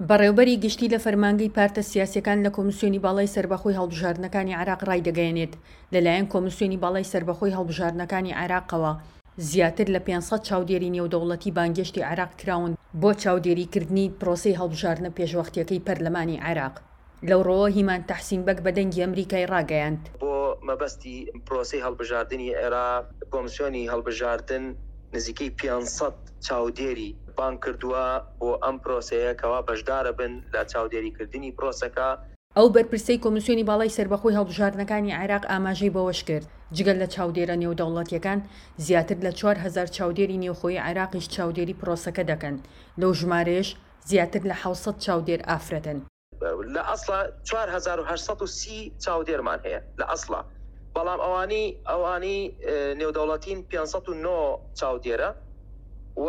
بەڕێوبەری گشتی لە فەرمانگەی پارتە سیاسیەکان لە کۆمسیۆنی باڵای سەربەخۆی هەڵبژاردنەکانی عێراق ڕایدەگەیەنێت، لەلایەن کۆمسیۆنی باڵای سەربەخۆی هەڵبژاردنەکانی عێراقەوە زیاتر لە 500 چاودێری نێودەوڵەتی بانگێشتی عێراق کراون بۆ چاودێریکردنی پرۆسەی هەڵبژاردنە پێشوەختیەکەی پەرلەمانی عێراق. لەو ڕووەوە هیمان تەحسین بەگ بە دەنگی ئەمریکای ڕاگەیاند. بۆ مەبەستی پرۆسەی هەڵبژاردنی عێراق، کۆمسیۆنی هەڵبژاردن نزیکەی 500 چاودێری بانگ کردووە بۆ ئەم پرۆسەیە کەوا بەشدارەبن لە چاودێریکردنی پرۆسەکە. ئەو بەرپرسەی کۆمیسیۆنی باڵای سەربەخۆی هەڵبژاردنەکانی عێراق ئاماژەی بەوەشکرد، جگە لە چاودێرە نێودەوڵەتییەکان، زیاتر لە 4000 چاودێری نێوخۆیی عێراقیش چاودێری پرۆسەکە دەکەن، لەو ژمارەیەش زیاتر لە 700 چاودێر ئافرەتن. لە ئەسڵا 4830 چاودێرمان هەیە لە ئەسڵا، بەڵام ئەوانی ئەوانی نێودەوڵەتین 509 چاودێرە و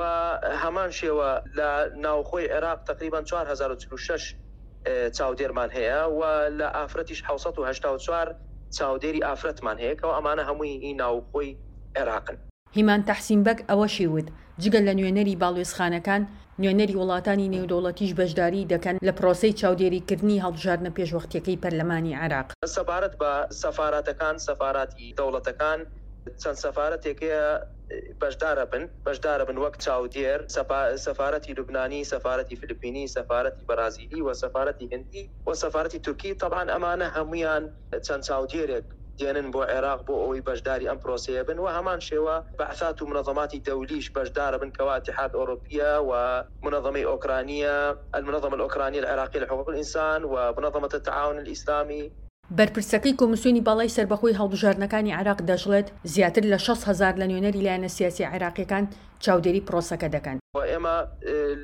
هەمان شێوە لە ناوخۆی عێراق تەقریبەن 4046 چاودێرمان هەیە و لە ئافرەتیش 784 چاودێری ئافرەتمان هەیە کەوا ئەمانە هەمووی هی ناوخۆی عێراقن. هیمان تەحسین بەگ ئەوەشی وت، جگە لە نوێنەری باڵوێزخانەکان، نوێنەری وڵاتانی نێودەوڵەتیش بەشداریی دەکەن لە پرۆسەی چاودێریکردنی هەڵبژاردنە پێشوەختییەکەی پەرلەمانی عێراق. سەبارەت بە سەفاراتەکان، سەفاراتی دەوڵەتەکان، چەند سەفارەتێک هەیە بەشدارەبن، بەشدارەبن وەک چاودێر، سەفارەتی لوبنانی، سەفارەتی فلپینی، سەفارەتی بەرازیلی و سەفارەتی هندی و سەفارەتی تورکی، تەبعەن ئەمانە هەموویان چەند چاودێرێک دێنن بۆ عێراق بۆ ئەوەی بەشداری ئەم پرۆسەیە بن و هەمان شێوە بەعسات و منەزەماتی دەولیش بەشدارەبن کەوا ئیتیحاد ئۆرۆپیە و منەزەمەی ئۆکرانیە، المنظمە الأوكرانية العراقية لحقوق الإنسان، و منظمة التعاون الإسلامي. بەرپرسەکەی کۆمیسیۆنی باڵای سەربەخۆی هەڵبژاردنەکانی عێراق دەشڵێت، زیاتر لە 60 هەزار لە نوێنەری لایەنە سیاسیە عێراقیەکان چاودێری پرۆسەکە دەکەن. و ئێمە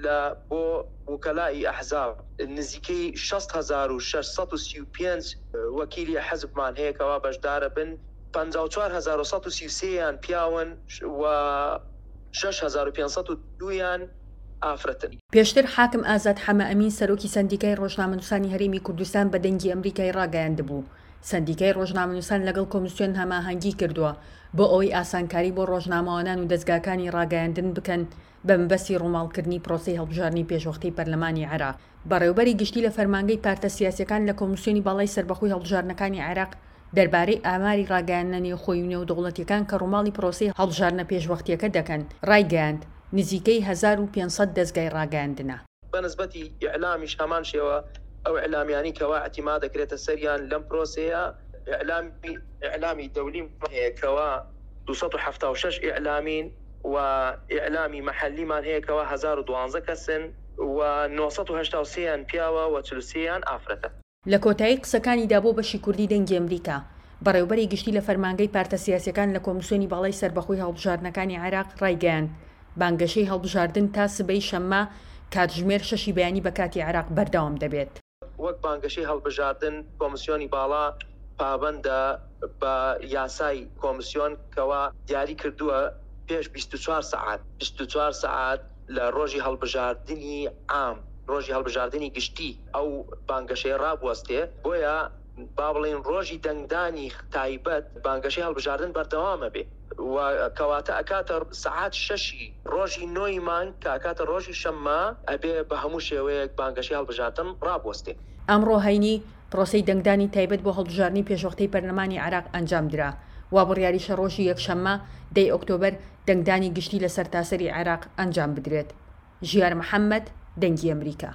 لە بۆ وکەلائی ئەحزاب نزیکەی 60,635 وەکیلی حزبمان هەیە کەوا بەشدارەبن، 54,133 یان پیاون و 6502 یان ئافرەتن. پێشتر حاکم ئازاد حەمەئەمین سەرۆکی سەندیکای ڕۆژنامەنووسانی هەرێمی کوردستان بە دەنگی ئەمریکای ڕاگەیاندبوو، سەندیکای ڕۆژنامەنووسان لەگەڵ کۆمیسیۆن هەماهەنگی کردووە بۆ ئەوەی ئاسانکاری بۆ ڕۆژنامەوانان و دەزگاکانی ڕاگەیاندن بکەن بە مەبەستی ڕووماڵکردنی پرۆسەی هەڵبژاردنی پێشوەختەی پەرلەمانی عێراق. بەڕێوبەری گشتی لە فەرمانگەی پارتە سیاسیەکان لە کۆمیسیۆنی باڵای سەربەخۆی هەڵبژاردنەکانی عێراق دەربارەی ئاماری ڕاگەیاندنە نێوخۆیی و نێودەوڵەتیەکان کە ڕووماڵی پرۆسەی هەڵبژاردنە پێشوەختیەکە دەکەن، ڕایگەیاند، نزیکەی 1500 دەزگای ڕاگەیاندنە. بە نسبەتی ئیعلامیش هەمان شێوە ئەو ئیعلامیانەی کەوا ئیعتیماد دەکرێتە سەریان لەم پرۆسەیە ئیعلامی ئیعلامی دەولیمان هەیە کەوا 276 ئیعلامین و ئیعلامی مەحەلیمان هەیە کەوا 1012 کەسن و 983 یان پیاوە و 43 یان ئافرەتە. لە کۆتایی قسەکانیدا بۆ بەشی کوردی دەنگی ئەمریکا، بەڕێوبەری گشتی لە فەرمانگەی پارتە سیاسیەکان لە کۆمیسیۆنی باڵای سەربەخۆی هەڵبژاردنەکانی عێراق ڕایگەیاند، بانگەشەی هەڵبژاردن تا سبەی شەممە کاتژمێر شەشی بەیانی بە کاتی عێراق بەردەوام دەبێت. وەک بانگەشەی هەڵبژاردن کۆمیسیۆنی باڵا پابەندە بە یاسای کۆمیسیۆن کەوا دیاری کردووە پێش 24 سەعات، 24 سەعات، لە ڕۆژی هەڵبژاردنی عام، ڕۆژی هەڵبژاردنی گشتی ئەو بانگەشەیە ڕابوەستێ، بۆیە با بڵێین ڕۆژی دەنگدانی تایبەت بانگەشەی هەڵبژاردن بەردەوام ئەبێ و کەواتە ئەکاتە سەعات شەشی ڕۆژی نۆی مانگ کە ئەکاتە ڕۆژی شەممە ئەبێ بە هەموو شێوەیەک بانگەشەی هەڵبژاردن ڕابوەستێ. ئەمڕۆ هەینی، پرۆسەی دەنگدانی تایبەت بۆ هەڵبژاردنی پێشوەختەی پەرلەمانی عێراق ئەنجامدرا، وا بڕیاریشە ڕۆژی یەکشەممە دەی ئۆکتۆبەر دەنگدانی گشتی لە سەرتاسەری عێراق ئەنجام بدرێت. ژیار محەمەد، دەنگی ئەمریکا.